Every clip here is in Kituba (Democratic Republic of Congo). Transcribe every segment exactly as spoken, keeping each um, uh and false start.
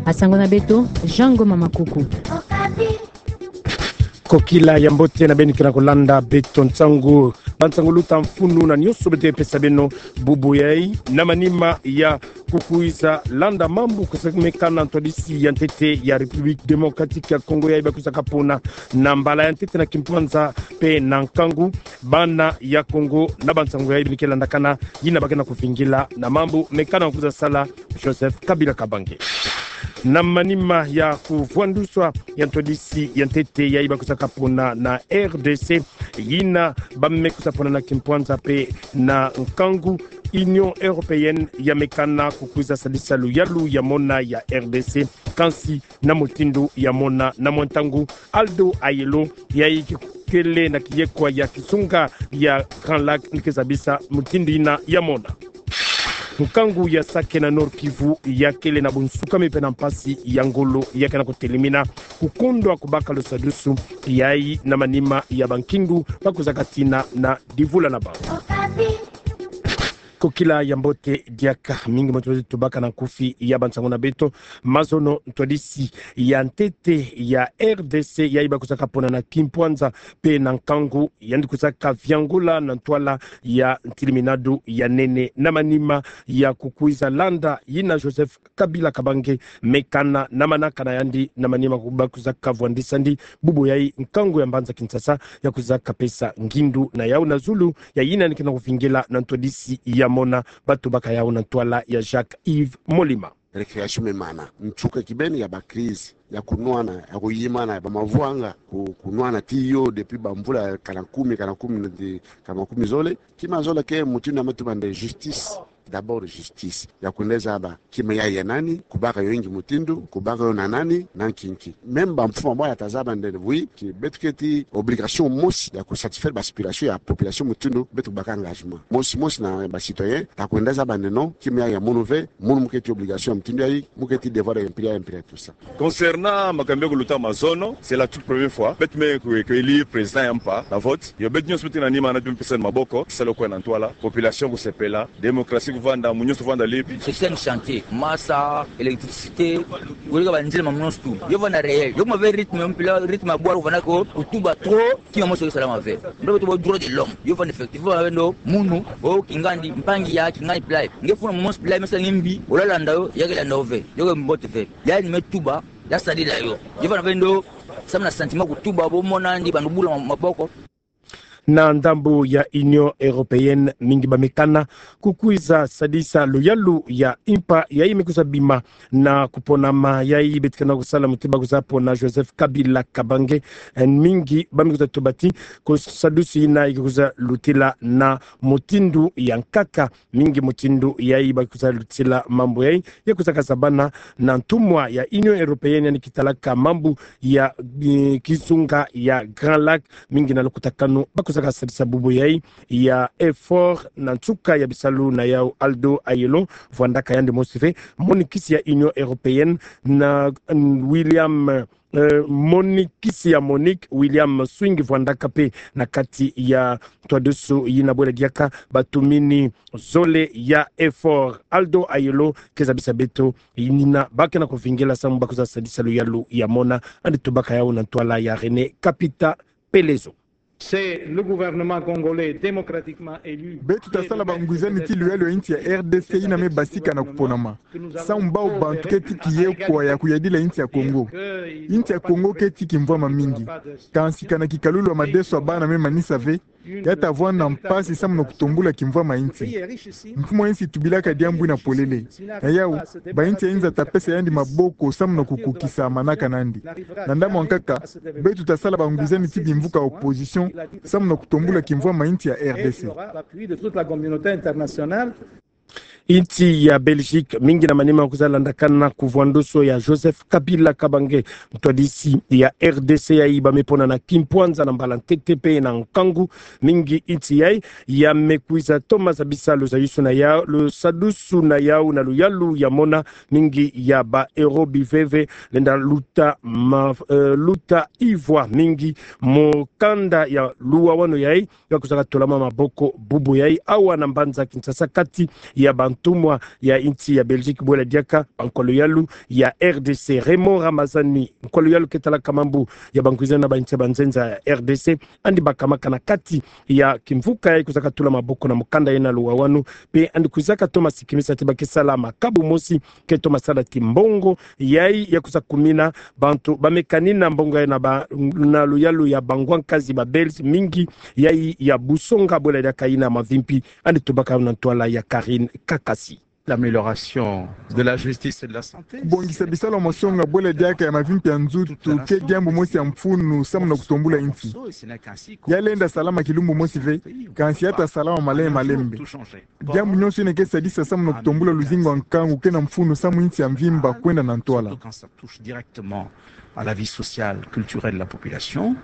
Asango na beto, Jean Ngoma Makuku. Kokila ya mbote na beno ke na kolanda beto nsangu. Bansangu luta mfunu na nyonso beto ke pesa beno bubu yayi, na manima ya kukwiza landa mambu kwiza mekana na ntwadisi ya ntete ya République Démocratique ya Congo yayi bakwiza kapona na mbala ya ntete na kimpwanza mpe na nkangu. Bana ya Congo, na bansangu yayi beno ke landakana, yina ba ke na kuvingila na mambu mekana kwiza sala Joseph Kabila Kabange. Na manima ya kuvwanduswa ya ntwadisi ya ntete yayi bakwiza kapona na R D C, yina ba me kwiza pona na kimpwanza mpe na nkangu, Union Européenne ya mekana kukwiza sadisa luyalu ya mona ya R D C, kansi na mutindu ya mona na mwa ntangu. Aldo Ayelo, yayi kikele na kiyekwa ya kizunga ya Grand Lac, ni ke zabisa mutindu yina ya mona. Nkangu ya Sake na Nord-Kivu ya kele na bunsukami mpe na mpasi ya ngolo, ya ke na kutelemina kukondwa kubaka lusadusu yayi na manima ya bankingu bakwiza katina na divula na bau. Kokila ya mbote diaka, mingi moto tubaka na nkufi ya bansangu na beto. Mazono, ntwadisi ya ntete ya R D C yayi bakwiza kapona na kimpwanza mpe na nkangu, yandi kwiza kaviangula na ntwala ya ntiliminadu ya nene na manima ya kukwiza landa yina Joseph Kabila Kabange mekana na manaka na yandi, na manima bakwiza kavwandisa ndi bubu yayi nkangu ya mbanza Kinshasa ya kwiza kapesa ngindu na yau na zulu ya yina ni ke na kuvingila na ntwadisi ya mona. Ba tubaka yau na ntwala ya Jacques Yves Molima. Récréation me mana. Nsuka kibeni ya ba crise, ya kunwana, ya kuyimana, ya ba mavwanga, ku-, kunwana tiyo depuis bamvula kana kumi, kana kumi na di-, kana kumi zole. Kima zole ke mutindu ya me tuba nde justice. D'abord justice. Ya kwenda zaba kima yayi ya nani, kubaka yo ingi mutindu, kubaka yo na nani, na nki nki. Même bamfumu bwa ya ta zaba nde, oui, que beto keti obligation mosi ya kusatisfaire ba aspiration ya population mutindu beto kubaka engagement. Mosi mosi na ba citoyen, ta kwenda zaba nde non, kima yayi ya munu ve, munu mu keti obligation ya mutindu yayi, mu keti devoir ya impéria, impéria, tout ça. Concernant makambu ya kuluta mazono, c'est la toute première fois. Beto me ku-, ku élire président ya mpa na vote. Yo beto nyonso beto na nima na beto me pesa maboko, salu kwe na ntwala, population kusepela, démocratie kuvanda, mu nyonso kuvanda libre. Système santé, masa, électricité, wele ka banzila mamu nyonso tu. Yo vanda réel. Yo kuma ve rythme, mpila rythme ya bwala kuvanda ko, kutuba trop, kima mosi ke salama ve. Ndo beto bo droit de l'homme. Yo vanda effectivement, vendo, munu, o kingandi, mpangi ya, kingandi plat. Nge funa mosi plat, mesa nge mbi, ola landa yo, ya ke landa yo ve. Yo ke mbote ve. Yayi ni me tuba, ya sadila yo. Yo vanda vendo, samu na sentiment kutuba, bo mona ndi bantu bula ma-, maboko. Na ndambu ya Union Européenne, mingi ba mekana kukwiza sadisa luyalu ya mpa yayi me kwiza bima na kuponama yayi beto ke na kusala muti ba kwiza pona Joseph Kabila Kabange. Eh, mingi ba me kwiza tuba ti kusadusu yina yi ke kwiza lutila na mutindu ya nkaka. Mingi mutindu yayi ba kwiza lutila mambu yayi, ya kwiza kazabana na ntumwa ya Union Européenne yandi ke talaka mambu ya, eh, kizunga ya Grand Lac. Mingi na lukutakanu ba kwiza kasadisa bubu yayi ya effort na nsuka ya bisalu na yau. Aldo Ayelo, vwandaka yandi mosi ve monikisi ya Union Européenne, na, mm, William, eh, monikisi ya Monique, William Swing, vwandaka mpe na kati ya ntwadusu yina bwela diaka. Batumini zole ya effort. Aldo Ayelo ke zabisa beto yina ba ke na kuvingila samu ba kwiza sadisa luyalu ya mona. Yandi tubaka yau na ntwala ya René Kapita Pelezo. C'est le gouvernement congolais démocratiquement élu. Beto ta sala bangwizani ti luyalu ya insi ya R D C yina me basika na kuponama. Samu bau bantu keti kiyekwa ya kuyadila insi ya Congo. Insi ya Congo keti kimvwama mingi. Kansi kana kikalulu ya madeso ya bana me manisa ve, ya ta vwanda mpasi samu na kutombula kimvwama insi. Mfumu ya insi tubilaka diambu yina polele. Na yau, ba insi ya inza ta pesa yandi maboko samu na kukokisa manaka nandi. Na ndambu ya nkaka, beto ta sala bangwizani ti bimvuka opposition samu na kutombula kimvwama insi ya R D C. Insi ya Belgique, mingi na manima kwiza landakana kuvwandoso ya Joseph Kabila Kabange, ntwadisi ya R D C yayi ba me pona na kimpwanza na mbala ntete mpe na nkangu. Mingi insi yayi ya me kwiza toma zabisa lusadusu na yau, lusadusu na yau na luyalu ya mona. Mingi ya ba euro biveve lenda luta ma, eh, luta ivwa mingi mu kanda ya luwawanu yayi. Ba kwiza katolama maboko bubu yayi awa na mbanza Kinshasa kati ya ba ntumwa ya insi ya Belgique bwela diaka, bankwa luyalu ya R D C, Raymond Ramazani, nkwa luyalu ke talaka mambu ya bankwizana na bainsi ya banzenza ya R D C, andi bakamaka na kati ya kimvuka yayi kwizaka tula maboko na mukanda yena luwawanu, mpe andi kwizaka toma sikimisa ti ba ke sala makabu mosi, ke toma sala ti mbongo yayi ya kwiza kumina bantu ba me kanina mbongo yayi na ba, na luyalu ya bangwa nkazi ba Belges mingi, yayi ya busonga bwela diaka yina mavimpi. Andi tubaka na ntwala ya Karine Kakasi. L'amélioration de la justice et de la santé. Kubongisa bisalu ya masonga bwela diaka ya mavimpi ya nzutu ke diambu mosi ya mfunu samu na kutombula insi. Ya lenda salama kilumbu mosi ve, kansi ya ta salama malembe malembe. Diambu nyonso yina ke sadisa samu na kutombula luzingu ya nkangu ke na mfunu samu insi ya mvimba kwenda na ntwala. Surtout quand ça touche directement à la vie sociale, culturelle de la population.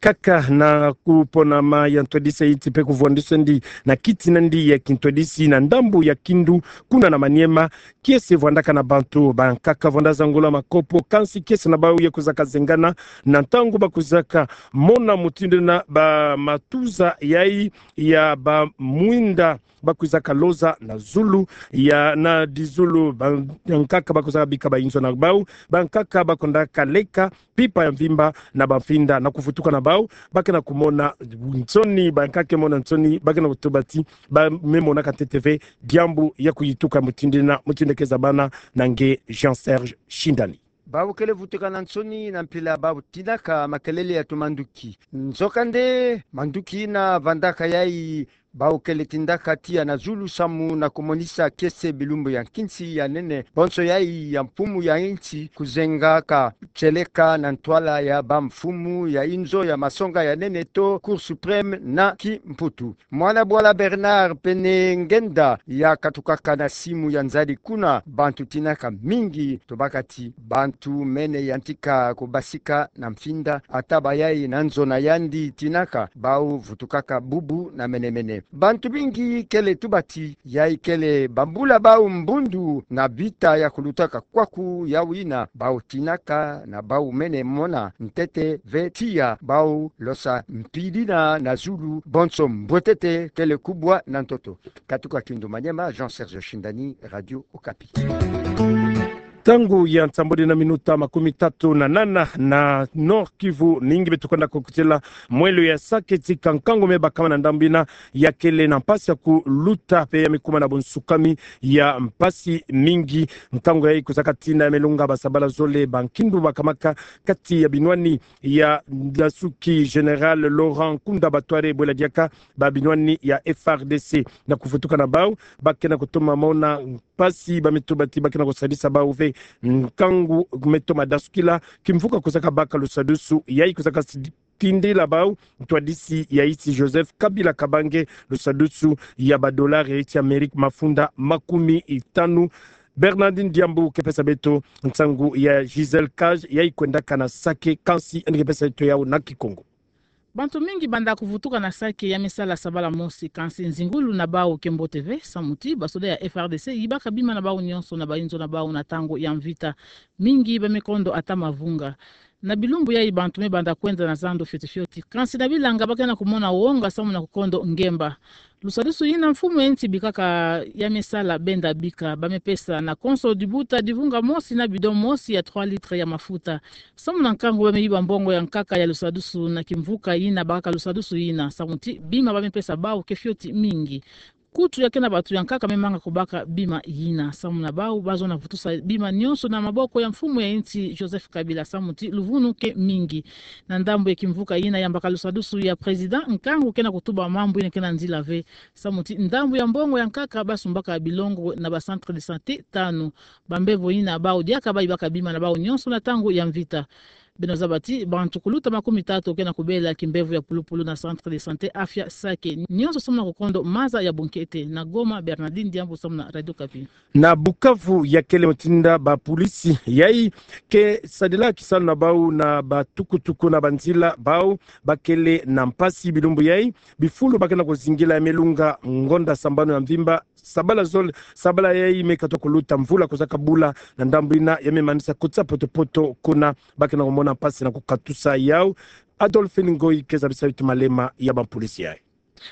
Kaka na kuponama ya ntwadisi ya insi mpe kuvwandisendi na kiti nandi ya kintwadisi na ndambu ya Kindu, kuna na Maniema, kiese vwandaka na bantu bankaka vwanda zangula makopo, kansi kiese na bau ya kwizaka zengana na ntangu ba kwizaka mona mutindu na bamatuza yayi ya bamwinda ba kwizaka loza na zulu ya, na dizulu, bankaka ba kwizaka bika bayinzo na bau, bankaka ba kwendaka leka mpimpa ya mvimba na bamfinda. Na kuvutuka na bau, ba ke na kumona nsoni, bankaka ke mona nsoni, ba ke na kutuba ti ba me monaka ntete ve diambu ya kuyituka mutindu yina, mutindu ke zabana na nge Jean Serge Shindani. Bau kele vutuka na nsoni na mpila bau tinaka makelele ya tumanduki. Nzokande manduki yina vandaka yayi, bau kele tindaka tiya na zulu samu na kumonisa kiese bilumbu ya nkinsi ya nene, bonso yayi ya mfumu ya insi, kuzengaka tieleka na ntwala ya bamfumu ya inzo ya masonga ya nene to Cour suprême na kimputu. Mwana bwala Bernard Pene Ngenda ya katukaka na simu ya nzadi kuna, bantu tinaka mingi, tobaka ti bantu mene yantika kubasika na mfinda, ata bayayi na nzo na yandi tinaka, bau vutukaka bubu na mene mene. Bantu mingi kele tuba ti yayi kele bambula bau mbundu na vita ya kulutaka kwaku, yawu yina bau tinaka na bau mene mona ntete ve tiya bau losa mpidina na zulu, bonso mbwetete kele kubwa na ntoto. Katuka Kindu Maniema, Jean Serge Shindani, Radio Okapi. Ntangu ya nsambwadi na minuta makumi tatu na nana na Nord-Kivu, ningi beto kwenda kukutila mwelo ya Sake, tika nkangu me bakama na ndambu yina ya kele na mpasi ya kuluta mpe ya me kuma na bunsukami ya mpasi mingi. Nkangu yayi kwizaka tina ya me lunga basabala zole, bankindu bakamaka kati ya binwani ya ndasuki Général Laurent Nkunda Batware bwela diaka ba binwani ya F A R D C. Na kuvutuka na bau, ba ke na kutoma mona mpasi, ba me tuba ti ba ke na kusadisa bau ve nkangu me toma dasukila, kimvuka kwizaka baka lusadusu yayi kwizaka sidi- tindila bau ntwadisi ya insi Joseph Kabila Kabange lusadusu ya badolari ya insi Amerika mafunda makumi tanu. Bernardine Diambu ke pesa beto nsangu ya Gisèle Cage yayi kwendaka na Sake, kansi yandi ke pesa beto yawu na Kikongo. Bantu mingi banda kuvutuka na Sake ya me sala sabala mosi, kansi nzingulu na bau ke mbote ve, samu ti basoda ya F A R D C yibaka bima na bau nyonso na bayinzo na bau na ntangu ya mvita. Mingi ba me kondo ata mavunga. Na bilumbu yayi bantu me banda kwenda na zandu fioti fioti. Kansi na bilanga ba ke na kumona wonga samu na kukondo ngemba. Lusadusu yina mfumu ya insi bikaka ya me sala benda bika, ba me pesa na konso dibuta divunga mosi na bidon mosi ya trois litres ya mafuta. Samu na nkangu ba me yiba mbongo ya nkaka ya lusadusu na kimvuka yina bakaka lusadusu yina, samu ti bima ba me pesa bau ke fioti mingi. Kutu ya ke na bantu ya nkaka me manga kubaka bima yina. Samu na bau, ba zona vutusa bima nyonso na maboko ya mfumu ya insi Joseph Kabila, samu ti luvunu ke mingi. Na ndambu ya kimvuka yina yambaka lusadusu ya président, nkangu ke na kutuba mambu yina ke na nzila ve. Samu ti ndambu ya mbongo ya nkaka ba sumbaka bilongo na ba centre de santé tanu. Bambevo yina bau diaka ba yibaka bima na bau nyonso na ntangu ya mvita. Beno zaba ti bantu kuluta makumi tatu ke na kubela kimbevo ya pulupulu na centre de santé Afya Sake. Nyonso samu na kukondo maza ya bunkete. Na Goma, Bernardine Diambu samu na Radio Okapi. Na Bukavu ya kele mutindu ba polisi yayi ke sadila kisalu na bau na ba tukutuku na banzila, bau ba kele na mpasi bilumbu yayi. Bifulu ba ke na kuzingila ya me lunga ngonda sambanu ya mvimba. Sabala zole, sabala yayi me katuka kuluta, mvula kwizaka bula na ndambu yina ya me manisa kotisa poto-poto kuna, ba ke na kumona mpasi na kukatusa yawu. Adolphine Ngoyi ke zabisa beto malema ya ba polisi yayi.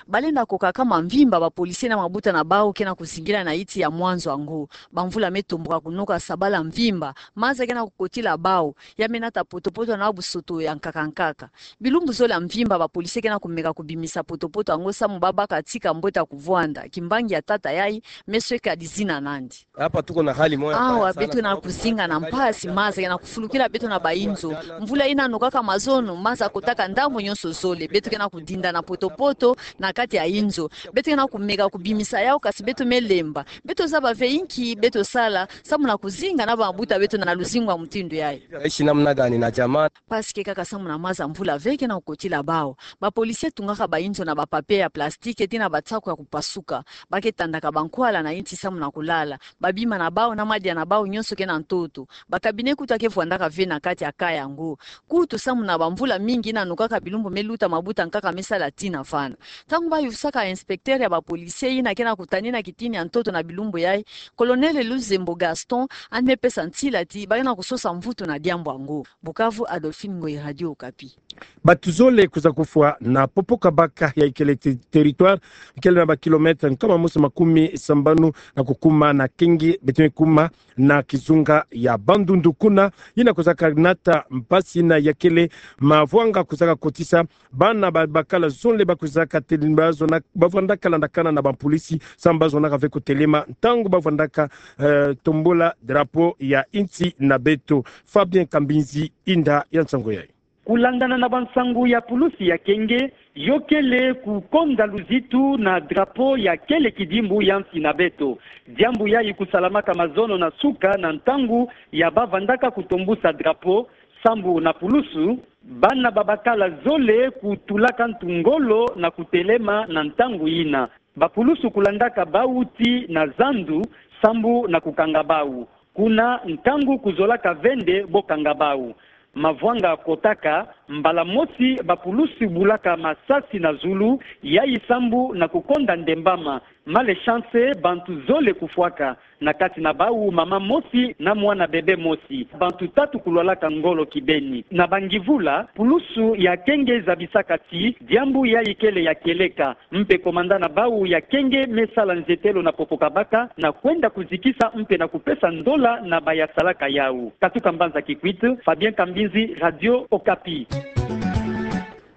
Balenda kokaka mamvimba ba policier na mabuta na bau ke na kuzingila na iti ya mwanzo yango. Bamvula me tomboka kunoka, sabala mvimba, maza ke na kukotila bau, ya me nata potopoto na busoto ya nkaka nkaka. Bilumbu zole ya mvimba ba policier ke na kumeka kubimisa potopoto yango samu babaka tika mbweta kuvwanda. Kimbangi ya tata yayi me sweka dizina nandi. Hapa tuko na hali moja mbaya sana. Awa beto ke na kuzinga na mpasi, maza ke na kufulukila beto na bainzo. Mvula ina nokaka mazono, maza kotaka ndambu nyonso zole. Beto ke na kudinda na potopoto na kati ya inzo. Beto ke na kumeka kubimisa yau, kasi beto me lemba. Beto zaba ve inki beto sala samu na kuzinga na bambuta beto na luzingu ya mutindu yayi. Tutaishi namna gani na jamaa? Mpasi ke kaka samu na maza mvula ve ke na kukotila bau. Ba policier tungaka bainzo na ba papier ya plastique ti na basaku ya kupasuka. Ba ke tandaka bankwala na inti samu na kulala. Babima na bau na madia na bau nyonso ke na ntoto. Ba cabinet kutu ke vwandaka ve na kati ya cas yango. Kutu samu na bamvula mingi ina nokaka bilumbu me luta, mabuta nkaka me sala tii na vana. Ntangu bayufisaka inspecteur ya ba policier ina ke na kutani na kitini ya ntoto na bilumbu yayi, Colonel Luzembo Gaston, ane pesa nsila ti ba ke na kusosa mvutu na diambu yango. Bukavu, Adolphine Ngoyi, Radio Okapi. Bato zole kwiza kufwa na popo kabaka ya ikele te-, territoire, ikele na ba kilomètre nkama mosi makumi sambanu na kukuma na Kenge, beto me kuma na kizunga ya Bandundu, kuna ina kwizaka nata mpasi ina ya kele mavwanga kwizaka kotisa bana ba-, bakala zole ba kwizaka tele-, ba zona-, ba vwandaka landakana na ba polisi, samu ba zonaka ve kutelema ntangu ba vwandaka, eh, tombola drapeau ya insi na beto. Fabien Kambinzi, inda ya nsangu yayi. Kulandana na bansangu ya pulusi ya Kenge, yo kele kukonda luzitu na drapeau ya kele kidimbu ya nsi na beto. Diambu yayi kusalamaka mazono na suka na ntangu ya ba vandaka kutombusa drapeau, sambu na pulusu, bana ba bakala zole kutulaka ntu ngolo na kutelema na ntangu yina. Ba pulusu kulandaka bau tii na zandu, sambu na kukanga bau. Kuna ntangu kuzolaka ve nde bo kanga bau. Mavwanga kotaka, mbala mosi ba pulusu bulaka masasi na zulu, yayi sambu na kukonda ndembama. Malechance, bantu zole kufwaka, na kati na bau mama mosi na mwana bebe mosi. Bantu tatu kulwalaka ngolo kibeni. Na bangivula, pulusu ya Kenge zabisaka ti diambu yayi kele ya kieleka. Mpe komanda na bau ya Kenge me sala nzetelo na popo kabaka na kwenda kuzikisa mpe na kupesa ndola na bayasalaka yau. Katuka mbanza Kikwit, Fabien Kambinzi, Radio Okapi.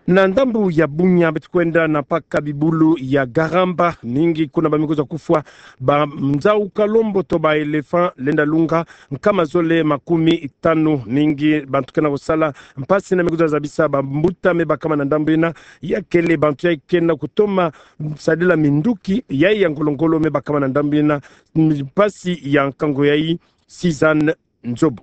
Na ndambu ya Bunia, beto kwenda na mpaka bibulu ya Garamba, mingi kuna ba me kwiza kufwa, ba nzau kalombo to ba éléphant lenda lunga, nkama zole makumi tanu, mingi bantu ke na kusala mpasi na me kwiza zabisa bambuta me bakama na ndambu yina. Ya kele bantu yayi ke na kutoma sadila minduki yayi ya ngolo-ngolo me bakama na ndambu yina. Mpasi ya nkangu yayi, Suzanne Nzobo.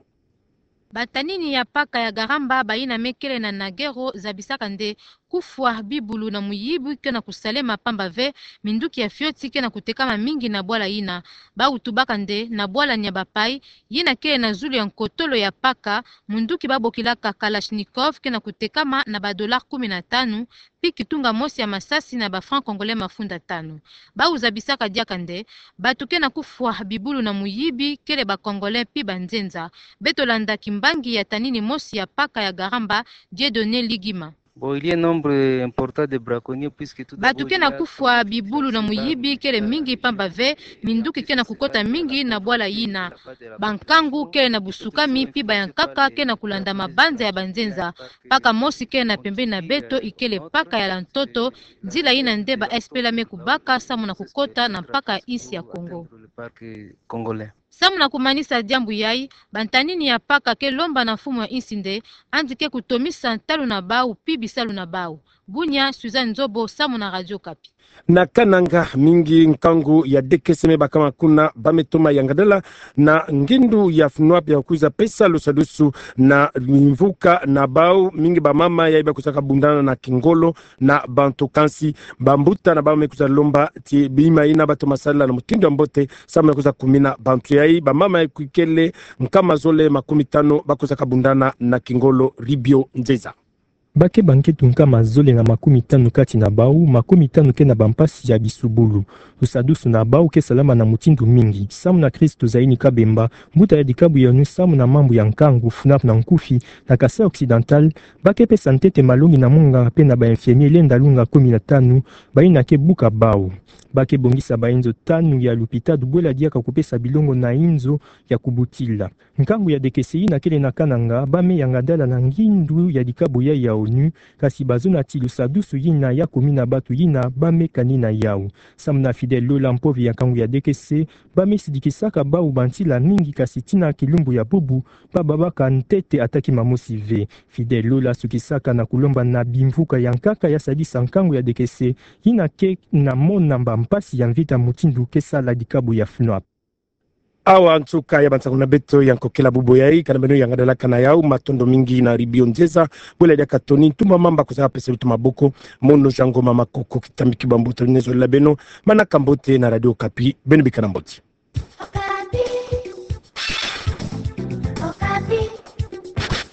Batanini ya mpaka ya Garamba bayina me kele na Nagero zabisaka nde kufwa bibulu na muyibi ke na kusalema, pamba ve minduki ya fioti ke na kutekama mingi na bwala yina. Bau tubaka nde na bwala nia bapayi, yina kele na zulu ya nkotolo ya mpaka, munduki ba bokilaka Kalachnikov ke na kutekama na ba dollars kumi na tanu, pi kitunga mosi ya masasi na ba francs congolais mafunda tanu. Bau zabisaka diaka nde bantu ke na kufwa bibulu na muyibi kele ba Congolais pi banzenza. Beto landa kimbangi ya tanini mosi ya mpaka ya Garamba, Dieudonné Ligima. Bon, il y a un nombre important de braconniers puisque tout d'abord, il y a... Bantu ke na kufwa bibulu na muyibi kele mingi, pamba ve minduki ke na kukota mingi na bwala yina. Bankangu kele na busukami, pi bayankaka ke na kulanda mabanza ya banzenza. Mpaka mosi kele na pembeni na beto, ikele mpaka ya Lantoto, nzila yina nde ba S P L A me kubaka samu na kukota na mpaka ya insi ya Congo. Samu na kumanisa diambu yayi, bantanini ya mpaka ke lomba na mfumu ya insi nde andi ke kutomisa ntalu na bau pi bisalu na bau. Bunia, Suzanne Nzobo, samu na Radio Okapi. Na Kananga, mingi nkangu ya D K S me bakama kuna, ba me toma yangadala na ngindu ya FNOAP ya kwiza pesa lusadusu na mvuka na bau. Mingi bamama yayi ba kwizaka bundana na kingolo na bantu, kansi bambuta na bau me kwiza lomba ti bima yina ba toma sala na mutindu ya mbote samu na kwiza kumina bantu yayi. Bamama yayi kikele nkama zole makumi tanu ba kwizaka bundana na kingolo. Ribio Nzeza. Ba keba nkento nkama zole na makumia tanu kati na bau, makumia tanu ke na bampasi ya bisubulu. Lusadusu na bau ke salama na mutindu mingi. Samu na Kristo zayini Kabemba, mbuta ya dikabu ya onu samu na mambu ya nkangu, FNAP na nkufi, na Kasaï Occidental, ba ke pesa ntete malongi na munganga pe na ba infirmier lenda lunga kumi na tanu, bayina ke buka bau. Ba ke bongisa ba inzo tanu ya lupitalu bwela diaka kupesa bilongo na inzo ya kubutila. Nkangu ya D K C yina kele na kananga, ba me yanga dala na ngindu ya dikabu ya ya onu, kasi bazonati lusadusu yina ya kumina batu yina ba me kanina yau. Samu na Fidèle Lola, mpove ya nkangu ya D K C, ba me sidikisaka bau ba ntila mingi kasi tina kilumbu ya bubu, ba babaka ntete ata kima mosi ve. Fidèle Lola sukisaka na kulomba na bimvuka ya nkaka ya sadisa nkangu ya D K C, yina ke na mona bampasi ya mvita mutindu ke sala dikabu ya FNAP. Awa nsuka ya bansangu na beto ya nkokela bubu yayi, kana beno yanga dalaka na yau, matondo mingi na Ribio Nzeza, bwela diaka toni ntumba mamba kusaka pesa lutu maboko, mono Jean Ngoma Makoko, kitambi kibambuta nezo la beno, manaka mbote na Radio Okapi, beno bikana mbote.